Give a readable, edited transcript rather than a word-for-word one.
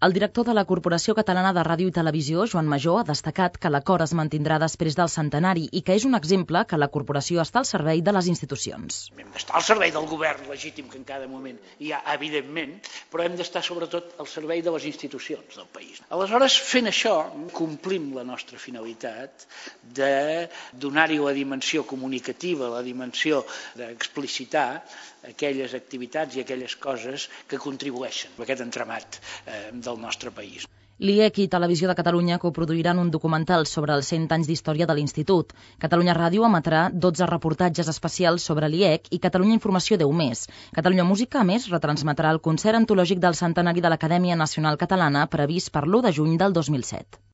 El director de la Corporació Catalana de Ràdio i Televisió, Joan Majó, ha destacat que l'acord es mantindrà després del centenari i que és un exemple que la corporació està al servei de les institucions. Hem d'estar al servei del govern legítim que en cada moment hi ha, evidentment, però hem d'estar sobretot al servei de les institucions del país. Aleshores, fent això, complim la nostra finalitat de donar-hi la dimensió comunicativa, la dimensió d'explicitar aquelles activitats i aquelles coses que contribueixen a aquest entramat del nostre país. L'IEC i Televisió de Catalunya coproduiran un documental sobre els 100 anys d'història de l'Institut. Catalunya Ràdio emetrà 12 reportatges especials sobre l'IEC i Catalunya Informació 10 més. Catalunya Música, a més, retransmetrà el concert antològic del centenari de l'Acadèmia Nacional Catalana previst per l'1 de juny del 2007.